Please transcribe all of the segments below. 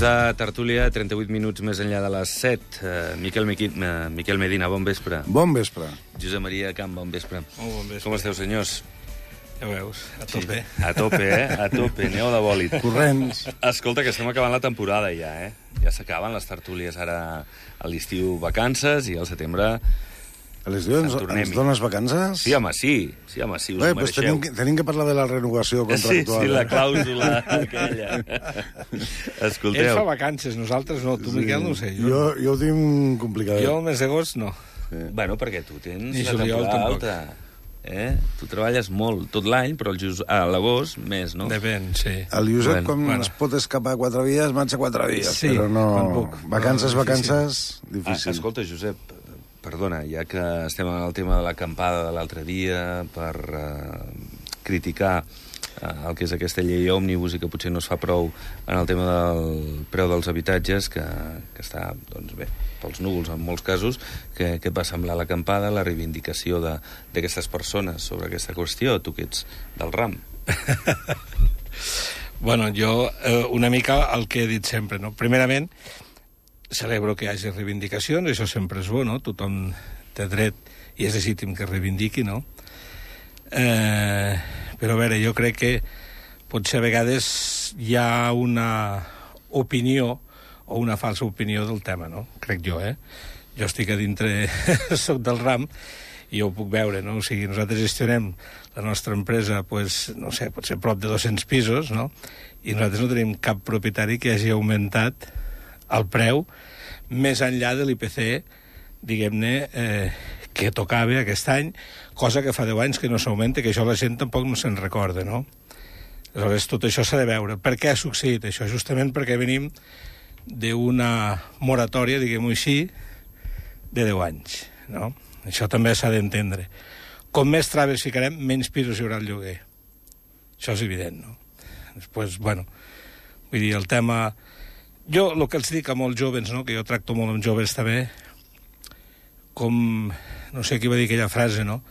de tertúlia, 38 minuts més enllà de les 7. Miquel Medina, bon vespre. Bon vespre. Josep Maria Camp, bon vespre. Molt bon vespre. Com esteu, senyors? Ja ho veus, a tope. Sí. A tope, A tope, aneu de bòlit. Corrents. Escolta, que estem acabant la temporada ja, Ja s'acaben les tertúlies ara a l'estiu vacances i al setembre... A l'estiu ens dones vacances? Sí, home, sí. Sí, home, sí, us ho mereixeu. Tenim que parlar de la renovació contractual. Sí, la clàusula aquella. Escolteu. Ell fa vacances, nosaltres no. Tu, Miquel, no ho sé. Jo ho tinc complicat. Jo el mes d'agost no. Sí. Bueno, perquè tu tens Ni la temporada tampoc. alta. Tu treballes molt tot l'any, però a l'agost més, no? Depèn, sí. El Josep, es pot escapar 4 dies, marxa 4 dies. Sí, però no... puc. Vacances, difícil. Escolta, Josep, perdona, ja que estem en el tema de l'acampada de l'altre dia, per criticar el que és aquesta llei òmnibus i que potser no es fa prou en el tema del preu dels habitatges, que està, doncs bé, pels núvols en molts casos, què va semblar l'acampada, la reivindicació d'aquestes persones sobre aquesta qüestió, tu que ets del ram? Bueno, jo una mica el que he dit sempre, no? Primerament, celebro que hi hagi reivindicacions, això sempre és bo, no? Tothom té dret i és legítim que reivindiqui, no? Però a veure, jo crec que potser a vegades hi ha una opinió o una falsa opinió del tema, no? Crec jo, Jo estic a dintre, soc del ram, i ho puc veure, no? O sigui, nosaltres gestionem la nostra empresa, pues, no sé, potser prop de 200 pisos, no? I nosaltres no tenim cap propietari que hagi augmentat el preu més enllà de l'IPC, diguem-ne, que tocava aquest any, cosa que fa 10 anys que no s'augmenta, que això la gent tampoc no se'n recorda, no? Aleshores, tot això s'ha de veure. Per què ha succeït això? Justament perquè venim d'una moratòria, diguem-ho així, de 10 anys, no? Això també s'ha d'entendre. Com més traves ficarem, menys pisos hi haurà al lloguer. Això és evident, no? Després, bueno, vull dir, el tema... Jo, el que els dic a molts joves, no?, que jo tracto molt amb joves també, com, no sé qui va dir aquella frase, no?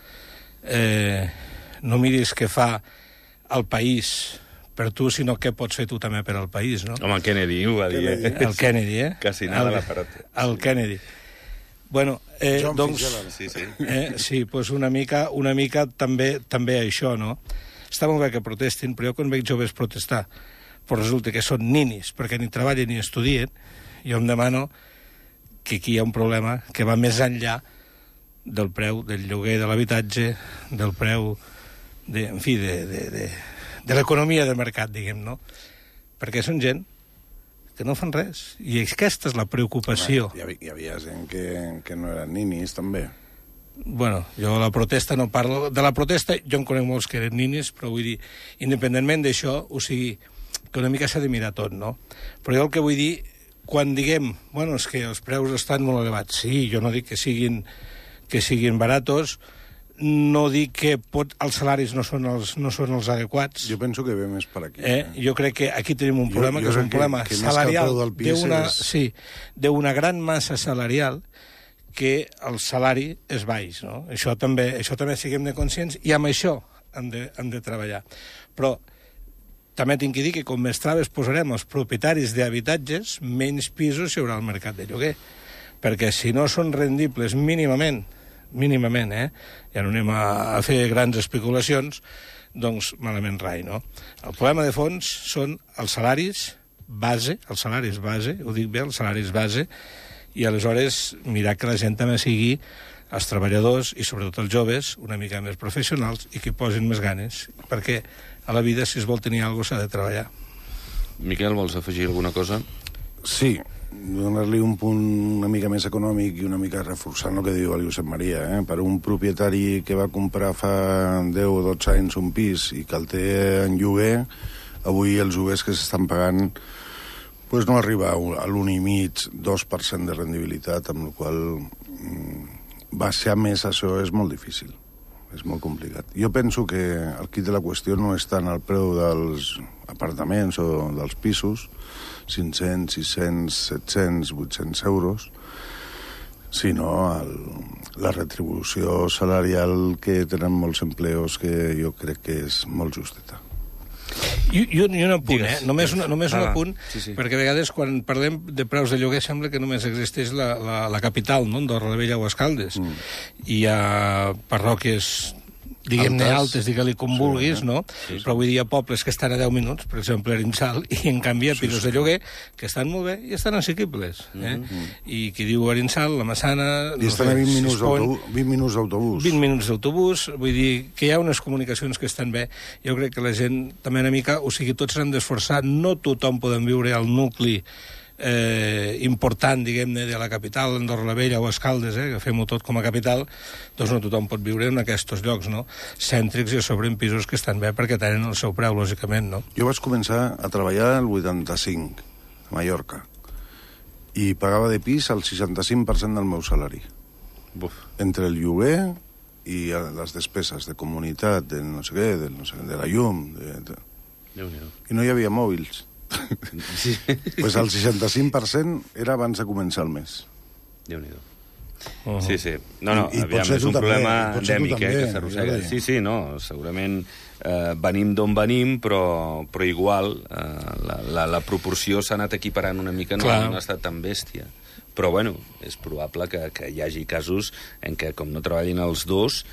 No miris què fa el país per tu, sinó què pots fer tu també per al país, no? Home, el Kennedy ho va dir, El Kennedy, Quasi nada la parota. El Kennedy. Bueno, doncs... Sí, doncs una mica també això, no? Està molt bé que protestin, però jo quan veig joves protestar però resulta que són ninis, perquè ni treballen ni estudien, jo em demano que aquí hi ha un problema que va més enllà del preu del lloguer de l'habitatge, del preu, de l'economia de mercat, diguem, no? Perquè són gent que no fan res, i aquesta és la preocupació. Hi havia gent que no eren ninis, també. Bueno, jo la protesta no parlo... De la protesta jo en conec molts que eren ninis, però vull dir, independentment d'això, o sigui, que una mica s'ha de mirar tot, no? Però jo el que vull dir, quan diguem, bueno, és que els preus estan molt elevats, sí, jo no dic que siguin baratos, no dic que els salaris no són els adequats. Jo penso que ve més per aquí. Jo crec que aquí tenim un problema, que és un problema salarial d'una gran massa salarial que el salari és baix, no? Això també siguem de conscients, i amb això hem de treballar. Però també tinc que dir que com més traves posarem els propietaris d'habitatges, menys pisos hi haurà al mercat de lloguer. Perquè si no són rendibles mínimament, ja no anem a fer grans especulacions, doncs malament rai, no? El problema de fons són els salaris base, ho dic bé, els salaris base, i aleshores mirar que la gent també sigui, els treballadors i sobretot els joves, una mica més professionals i que posin més ganes, perquè a la vida, si es vol tenir alguna cosa, s'ha de treballar. Miquel, vols afegir alguna cosa? Sí, donar-li un punt una mica més econòmic i una mica reforçant el que diu el Josep Maria. Per un propietari que va comprar fa 10 o 12 anys un pis i que el té en lloguer, avui els lloguers que s'estan pagant pues no arriba a l'1,5-2% de rendibilitat, amb la qual baixar més això és molt difícil. És molt complicat. Jo penso que el quid de la qüestió no és tant el preu dels apartaments o dels pisos, 500, 600, 700, 800 euros, sinó la retribució salarial que tenen molts empleos, que jo crec que és molt justeta. I un apunt, només un apunt, sí. perquè a vegades quan parlem de preus de lloguer sembla que només existeix la capital, no?, Andorra la Vella o Escaldes. Hi ha parròquies, diguem-ne altes, digue-li com vulguis, no? Però avui dia pobles que estan a 10 minuts, per exemple, Arinsal, i en canvi hi ha pisos de lloguer que estan molt bé i estan assequibles. I qui diu Arinsal, la Massana... I estan a 20 minuts d'autobús. 20 minuts d'autobús, vull dir que hi ha unes comunicacions que estan bé. Jo crec que la gent també una mica, o sigui, tots s'han d'esforçar, no tothom podem viure al nucli important, diguem-ne, de la capital, Andorra la Vella o Escaldes, que fem-ho tot com a capital, doncs no tothom pot viure en aquests llocs, no?, cèntrics i a sobre en pisos que estan bé perquè tenen el seu preu, lògicament, no? Jo vaig començar a treballar el 85, a Mallorca, i pagava de pis el 65% del meu salari. Entre el lloguer i les despeses de comunitat, de no sé què, de la llum... I no hi havia mòbils. Pues el 65% era abans de començar el mes. Déu-n'hi-do. Sí. No, aviam, és un problema endèmic, que s'arrossega. Sí, no, segurament venim d'on venim, però igual la proporció s'ha anat equiparant una mica, no ha estat tan bèstia. Però, bueno, és probable que hi hagi casos en què, com no treballin els dos...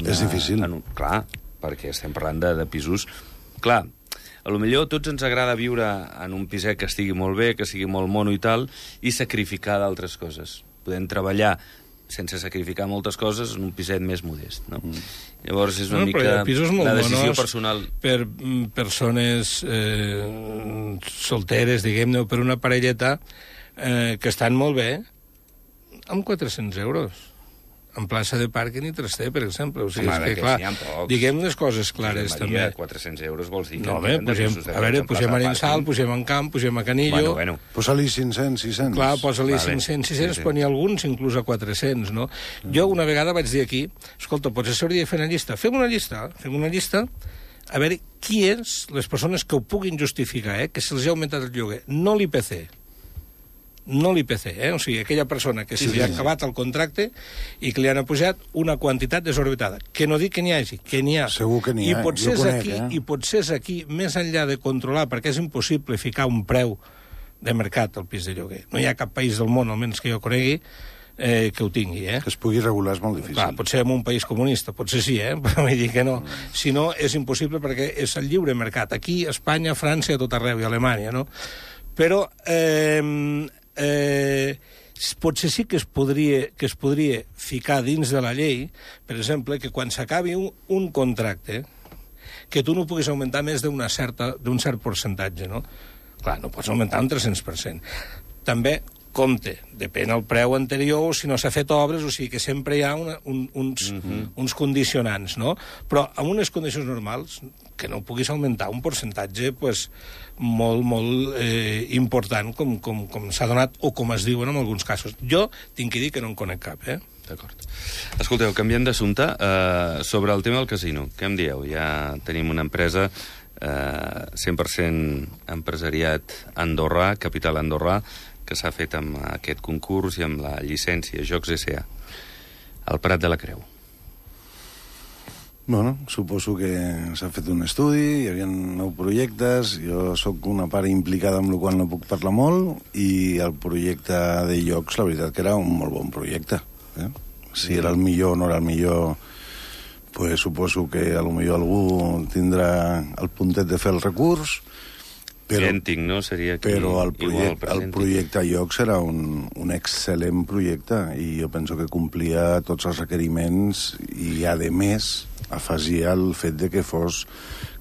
És difícil. Clar, perquè estem parlant de pisos... Clar, a lo millor tots ens agrada viure en un piset que estigui molt bé, que sigui molt mono i tal, i sacrificar d'altres coses. Podem treballar sense sacrificar moltes coses en un piset més modest, no? Llavors és una mica la decisió personal. Per persones solteres, diguem-ne, o per una parelleta que estan molt bé, amb 400 euros. En plaça de pàrquing i traster, per exemple. O sigui, home, és que, clar, diguem les coses clares, també. 400 euros vols dir... No, home, posem a Arinsal, posem en Camp, posem a Canillo... Bueno. Posa-li 500, 600. Clar, posa-li 500, 600, però n'hi ha alguns inclús a 400, no? Jo una vegada vaig dir aquí, escolta, potser s'hauria de fer una llista. Fem una llista, a veure qui és les persones que ho puguin justificar, que se'ls ha augmentat el lloguer. No l'IPC. No l'IPC, o sigui, aquella persona que se li ha acabat el contracte i que li han apujat una quantitat desorbitada. Que no dic que n'hi hagi, que n'hi ha. Segur que n'hi ha, jo conec, I potser és aquí, més enllà de controlar, perquè és impossible ficar un preu de mercat al pis de lloguer. No hi ha cap país del món, almenys que jo conegui, que ho tingui, Que es pugui regular és molt difícil. Clar, potser en un país comunista, potser sí, però vull dir que no. Si no, és impossible perquè és el lliure mercat. Aquí, a Espanya, a França, a tot arreu, i a Alemanya, no? Però... potser sí que es podria ficar dins de la llei, per exemple, que quan s'acabi un contracte, que tu no puguis augmentar més d'un cert percentatge, no? Clar, no pots augmentar un 300%. També, compte, depèn del preu anterior, si no s'ha fet obres, o sigui que sempre hi ha uns condicionants, no? Però amb unes condicions normals, que no puguis augmentar un percentatge molt important, com s'ha donat, o com es diuen en alguns casos. Jo tinc que dir que no en conec cap, D'acord. Escolteu, canviant d'assumpte, sobre el tema del casino, què em dieu? Ja tenim una empresa 100% empresariat andorrà, capital andorrà, que s'ha fet amb aquest concurs i amb la llicència Jocs S.A. al Prat de la Creu. Bueno, suposo que s'ha fet un estudi, hi havia 9 projectes, jo sóc una part implicada amb el qual no puc parlar molt, i el projecte de llocs, la veritat que era un molt bon projecte. Si era el millor o no era el millor, pues suposo que a lo millor algú tindrà el puntet de fer el recurs, idèntic, no? Seria aquí, però el projecte Llocs era un excel·lent projecte i jo penso que complia tots els requeriments i, a més, afegia el fet de que fos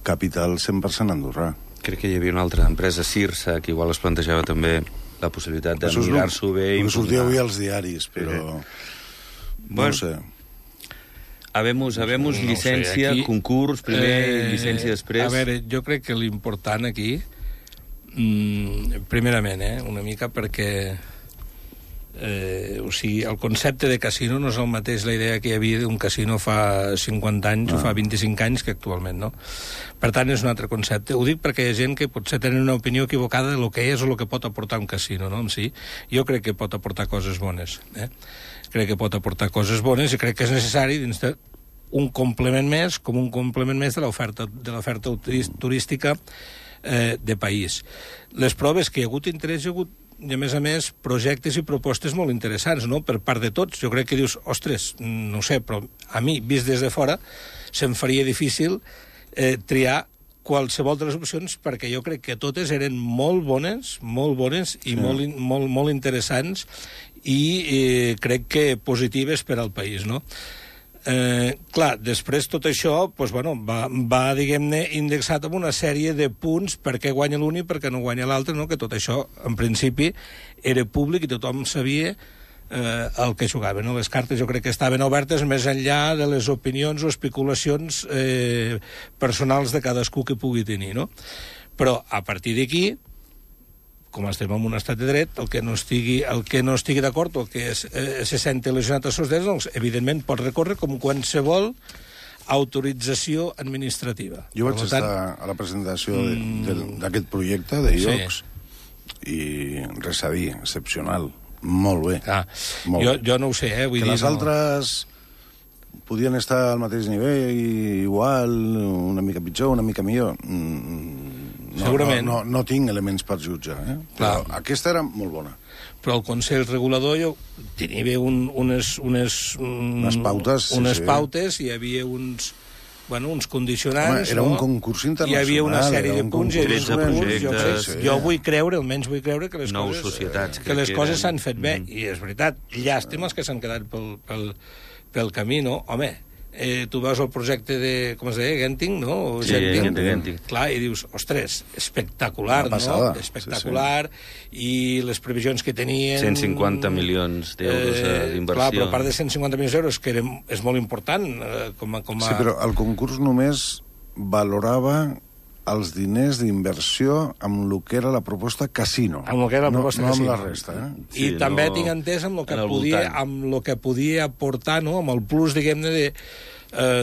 capital 100% andorrà. Crec que hi havia una altra empresa, Cirsa, que igual es plantejava també la possibilitat de mirar-s'ho bé. Sortia avui als diaris, però... No ho sé. Habemos llicència, concurs, primer, llicència després... A veure, jo crec que l'important aquí... primerament, una mica perquè o sigui, el concepte de casino no és el mateix la idea que hi havia d'un casino fa 50 anys o fa 25 anys que actualment, no? Per tant, és un altre concepte. Ho dic perquè hi ha gent que potser tenen una opinió equivocada de lo que és o el que pot aportar un casino, no? En si, jo crec que pot aportar coses bones, Crec que pot aportar coses bones i crec que és necessari dins un complement més, com un complement més de l'oferta turística de país. Les proves que hi ha hagut interès, hi ha hagut, i a més, projectes i propostes molt interessants, no?, per part de tots. Jo crec que dius, ostres, no sé, però a mi, vist des de fora, se'm faria difícil triar qualsevol de les opcions, perquè jo crec que totes eren molt bones i molt interessants i crec que positives per al país, no? Clar, després tot això va diguem-ne, indexat amb una sèrie de punts per què guanya l'un i per què no guanya l'altre, no? Que tot això, en principi, era públic i tothom sabia el que jugava, no? Les cartes jo crec que estaven obertes més enllà de les opinions o especulacions personals de cadascú que pugui tenir, no? Però a partir d'aquí, com estem en un estat de dret, el que no estigui d'acord o el que se senti lesionat als seus drets, doncs, evidentment, pot recórrer com qualsevol autorització administrativa. Jo vaig estar a la presentació d'aquest projecte de IOCS i res a dir, excepcional. Molt bé. Jo no ho sé, vull dir... Que les altres podien estar al mateix nivell, igual, una mica pitjor, una mica millor. Segurament. No tinc elements per jutjar, però aquesta era molt bona. Però el Consell Regulador tenia unes pautes, hi havia uns condicionants... Era un concurs internacional. Hi havia una sèrie de punts, hi havia projectes. Jo almenys vull creure que les coses s'han fet bé. I és veritat, llàstimes que s'han quedat pel camí, no? Home, tu veus el projecte de, com es deia, Genting, no? Sí, Genting. Clar, i dius, ostres, espectacular, no? Espectacular, i les previsions que tenien... 150 milions d'euros d'inversió. Clar, però a part de 150 milions d'euros, que és molt important com a... Sí, però el concurs només valorava els diners d'inversió amb el que era la proposta casino. Amb el que era la proposta casino. No amb la resta, I també tinc entès amb el que podia aportar, no?, amb el plus, diguem-ne,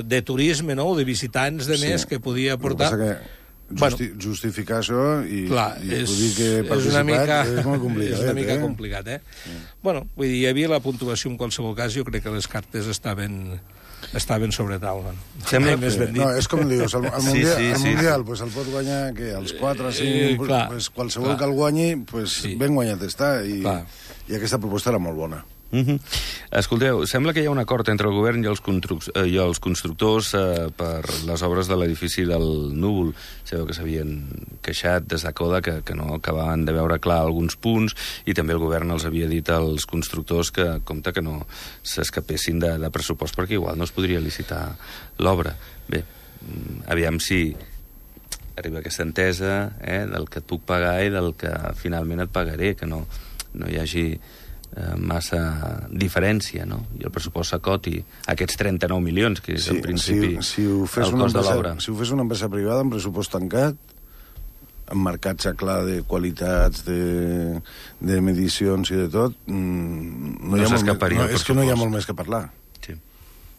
de turisme, no?, de visitants de més que podia aportar... El que passa que justificar això i dir que he participat és molt complicat. És una mica complicat, Bueno, vull dir, hi havia la puntuació en qualsevol cas, jo crec que les cartes estaven sobre taula. No, és com dius, el Mundial el pot guanyar els 4, 5, qualsevol que el guanyi, ben guanyat està, i aquesta proposta era molt bona. Escolteu, sembla que hi ha un acord entre el govern i els constructors per les obres de l'edifici del Núvol. Sabeu que s'havien queixat des de CODA que no acabaven de veure clar alguns punts, i també el govern els havia dit als constructors que compte que no s'escapessin de pressupost perquè igual no es podria licitar l'obra. Bé, aviam si arriba aquesta entesa del que et puc pagar i del que finalment et pagaré, que no hi hagi massa diferència, no? I el pressupost s'acoti aquests 39 milions, que és en principi el cost de l'obra. Si ho fes una empresa privada amb pressupost tancat, amb marcatge clar de qualitats, de medicions i de tot, és que no hi ha molt més que parlar.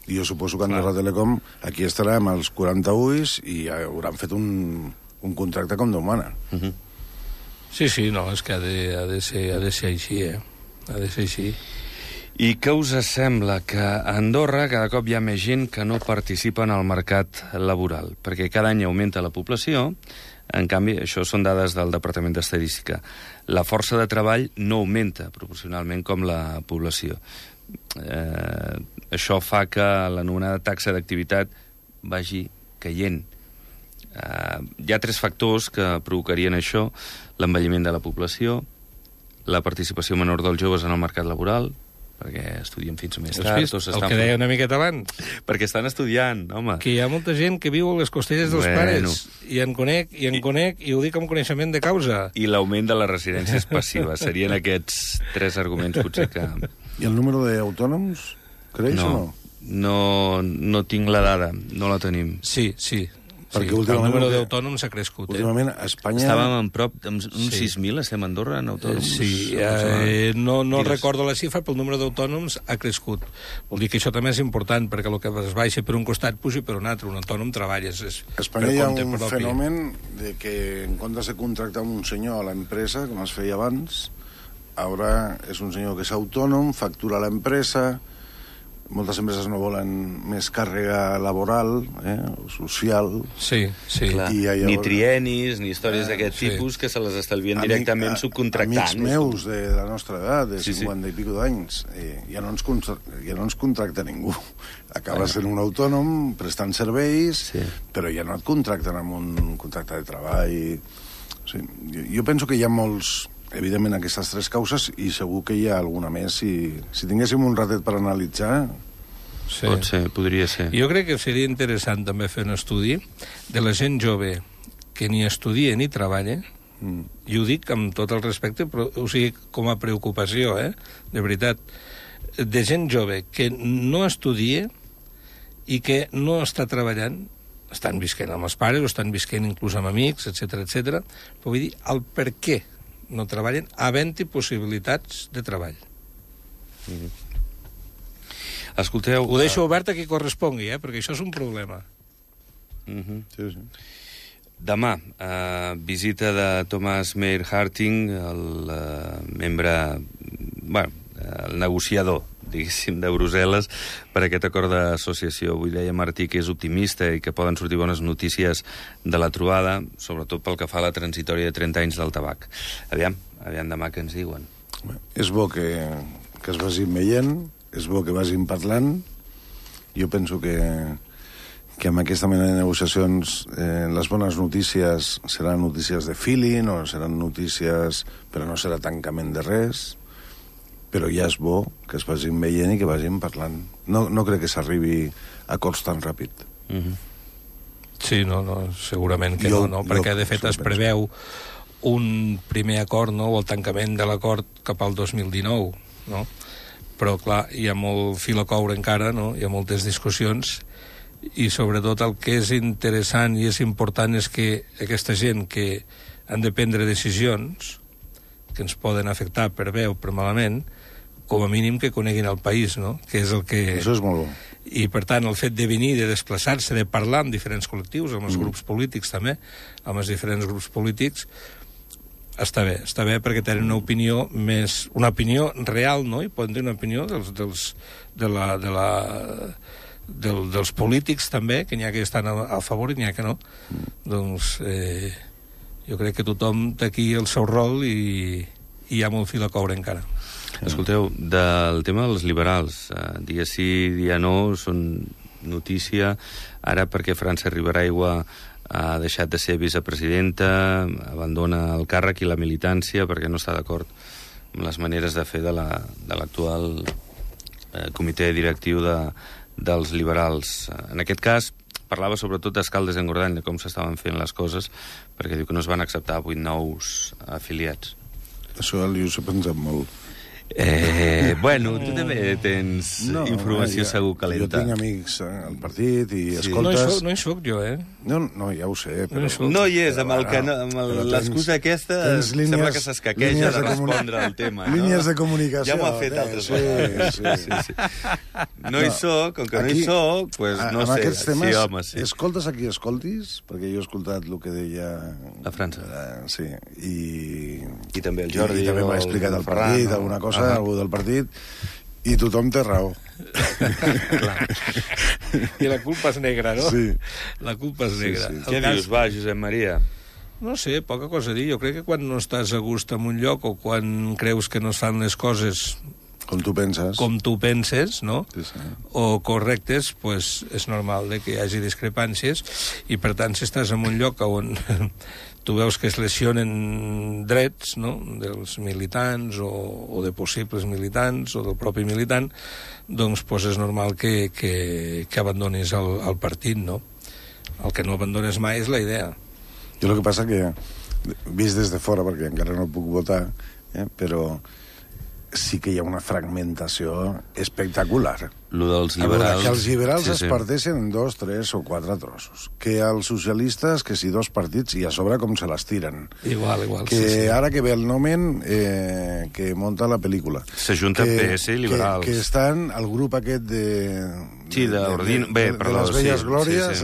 I jo suposo que Andorra Telecom aquí estarà amb els 40 ulls i hauran fet un contracte com Déu mana. Sí, no, és que ha de ser així, Ha de ser així. I què us sembla? Que a Andorra cada cop hi ha més gent que no participa en el mercat laboral, perquè cada any augmenta la població. En canvi, això són dades del Departament d'Estadística. La força de treball no augmenta proporcionalment com la població. Això fa que l'anomenada taxa d'activitat vagi caient. Hi ha 3 factors que provocarien això: l'envelliment de la població, la participació menor dels joves en el mercat laboral, perquè estudien fins més tard. El que deia una miqueta abans. Perquè estan estudiant, home. Que hi ha molta gent que viu a les costelles dels pares. I en conec, i ho dic amb coneixement de causa. I l'augment de les residències passives. Serien aquests 3 arguments, potser que... I el número d'autònoms creix o no? No tinc la dada, no la tenim. Sí. Perquè el número d'autònoms ha crescut. Últimament a Espanya... Estàvem en prop d'uns 6.000, estem a Andorra, en autònoms. Sí, no recordo la xifra, però el número d'autònoms ha crescut. Vol dir que això també és important, perquè el que es baixa per un costat puja per un altre. Un autònom treballa. A Espanya hi ha un fenomen de que en comptes de contractar un senyor a l'empresa, com es feia abans, ara és un senyor que és autònom, factura a l'empresa, moltes empreses no volen més càrrega laboral, social. Sí. Clar, ni trienis, ni històries d'aquest tipus que se les estalvien directament subcontractant. Amics meus de la nostra edat, de 50 i pico d'anys, ja no ens contracta ningú. Acaba sent un autònom, prestant serveis, però ja no et contracten amb un contracte de treball. Sí. Jo penso que hi ha molts... Evidentment, aquestes tres causes, i segur que hi ha alguna més. Si tinguéssim un ratet per analitzar... Sí. Pot ser, podria ser. Jo crec que seria interessant també fer un estudi de la gent jove que ni estudia ni treballa, i ho dic amb tot el respecte, però o sigui, com a preocupació, de veritat, de gent jove que no estudia i que no està treballant, estan visquent amb els pares o estan visquent inclús amb amics, etc, però vull dir, el per què no treballen, havent-hi possibilitats de treball. Escolteu... Ho deixo obert a qui correspongui, perquè això és un problema. Sí. Demà, visita de Thomas Meyer Harting, el membre... el negociador, diguéssim, de Brussel·les per aquest acord d'associació. Avui deia Martí que és optimista i que poden sortir bones notícies de la trobada, sobretot pel que fa a la transitòria de 30 anys del tabac. Aviam demà què ens diuen. És bo que es vagin veient, és bo que vagin parlant. Jo penso que amb aquesta mena de negociacions les bones notícies seran notícies de feeling o seran notícies, però no serà tancament de res. Però ja és bo que es vagin veient i que vagin parlant. No crec que s'arribi a acords tan ràpid. Sí, no, segurament que no, perquè de fet es preveu un primer acord, o el tancament de l'acord cap al 2019, no? Però, clar, hi ha molt fil a coure encara, no? Hi ha moltes discussions, i sobretot el que és interessant i és important és que aquesta gent que han de prendre decisions que ens poden afectar per bé o per malament, com a mínim que coneguin el país, no? Que és el que... Això és molt bo. I, per tant, el fet de venir, de desplaçar-se, de parlar amb diferents col·lectius, amb els grups polítics també, amb els diferents grups polítics, està bé perquè tenen una opinió més... Una opinió real, no? I poden tenir una opinió dels polítics també, que n'hi ha que estan a favor i n'hi ha que no. Doncs jo crec que tothom té aquí el seu rol i hi ha molt fil a coure encara. Escolteu, del tema dels liberals, dia sí, dia no, són notícia, ara perquè França Riberaigua ha deixat de ser vicepresidenta, abandona el càrrec i la militància perquè no està d'acord amb les maneres de fer de l'actual comitè directiu dels liberals. En aquest cas, parlava sobretot d'Escaldes d'Engordany, de com s'estaven fent les coses, perquè diu que no es van acceptar 8 nous afiliats. Això el Josep ens sap molt. Bueno, tu també tens informació segur calenta. Jo tinc amics al partit i escoltes... No hi soc jo, No, ja ho sé, però... No hi és, amb l'excusa aquesta sembla que s'escaqueja de respondre al tema. Línies de comunicació. Ja m'ho ha fet altres vegades. Sí. No hi soc, com que no hi soc, doncs no sé. Amb aquests temes, sí, home, sí. Escoltes a qui escoltis, perquè jo he escoltat el que deia... A França. Sí, i també el Jordi. I també m'ha explicat el partit, alguna cosa, algú del partit, i tothom té raó. I la culpa és negra, no? Sí. La culpa és negra. Sí. Què dius, va, Josep Maria? No sé, poca cosa a dir. Jo crec que quan no estàs a gust en un lloc o quan creus que no es fan les coses com tu penses, no? Sí. O correctes, pues és normal que hi hagi discrepàncies, i per tant, si estàs en un lloc on tu veus que es lesionen drets, no?, dels militants o de possibles militants o del propi militant, doncs és normal que abandonis el partit, no? El que no abandones mai és la idea. Jo el que passa que, vist des de fora, perquè encara no puc votar, però sí que hi ha una fragmentació espectacular. Lo dels liberals... Que els liberals es parteixen en 2, 3 o 4 trossos. Que els socialistes, que si 2 partits, i a sobre com se les tiren. Igual. Que ara que ve el Nomen, que monta la pel·lícula. S'ajunta PS i liberals. Que estan al grup aquest Sí, de les velles glòries,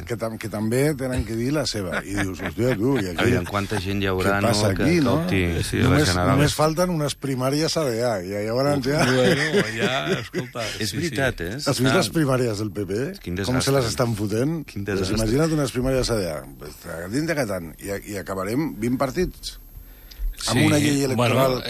que també tenen que dir la seva. I dius, hòstia, tu, i aquí... Aviam, quanta gent hi haurà, què passa aquí, no? Només falten unes primàries ADA, i llavors ja... Bueno, ja, escolta... És veritat, eh? Has vist les primàries del PP? Com se les estan fotent? Pues imagina't unes primàries ADA. Dins de Catan, i acabarem 20 partits. Amb una llei electoral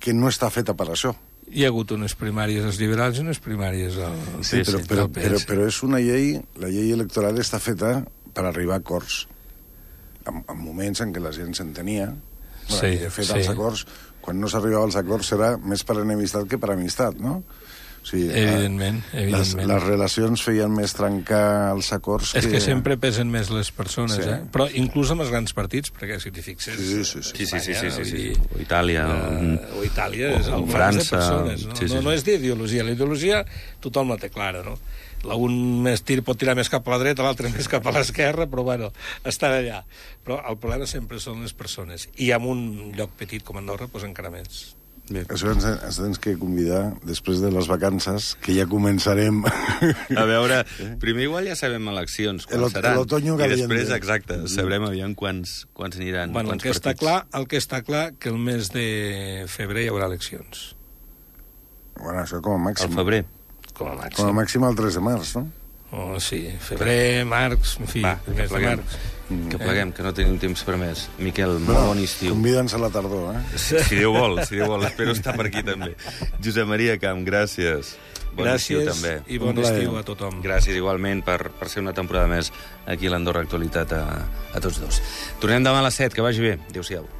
que no està feta per això. Hi ha hagut unes primàries als liberals i unes primàries al... Sí, però és una llei... La llei electoral està feta per arribar a acords. En moments en què la gent s'entenia. I de fet, els acords, quan no s'arribava als acords, serà més per enemistat que per amistat, no? O sigui, evidentment. Les relacions feien més trencar els acords És que sempre pesen més les persones, Però inclús amb els grans partits, perquè si t'hi fixes... Sí. O Itàlia. O Itàlia és o França. No és d'ideologia. La ideologia tothom la té clara, no? Un pot tirar més cap a la dreta, l'altre més cap a l'esquerra, però bueno, estan allà. Però el problema sempre són les persones. I en un lloc petit com Andorra, doncs encara més. Bé. Això ens tens que convidar després de les vacances, que ja començarem... A veure, primer igual ja sabem eleccions, quan seran. I després, exacte, sabrem aviam quants aniran, quants partits. El que està clar que el mes de febrer hi haurà eleccions. Bueno, això com a màxim. Al febrer. Com a màxim. Com a màxim el 3 de març, no? Oh, sí, febrer, març, en fi, el mes de març. Que pleguem, que no tenim temps per més. Miquel, molt bon estiu. Convida'ns a la tardor, Si Déu vol. Espero estar per aquí també. Josep Maria Camp, gràcies. Bon estiu també. I bon estiu a tothom. Gràcies igualment per ser una temporada més aquí a l'Andorra Actualitat a tots dos. Tornem demà a les 7, que vagi bé. Adéu-siau.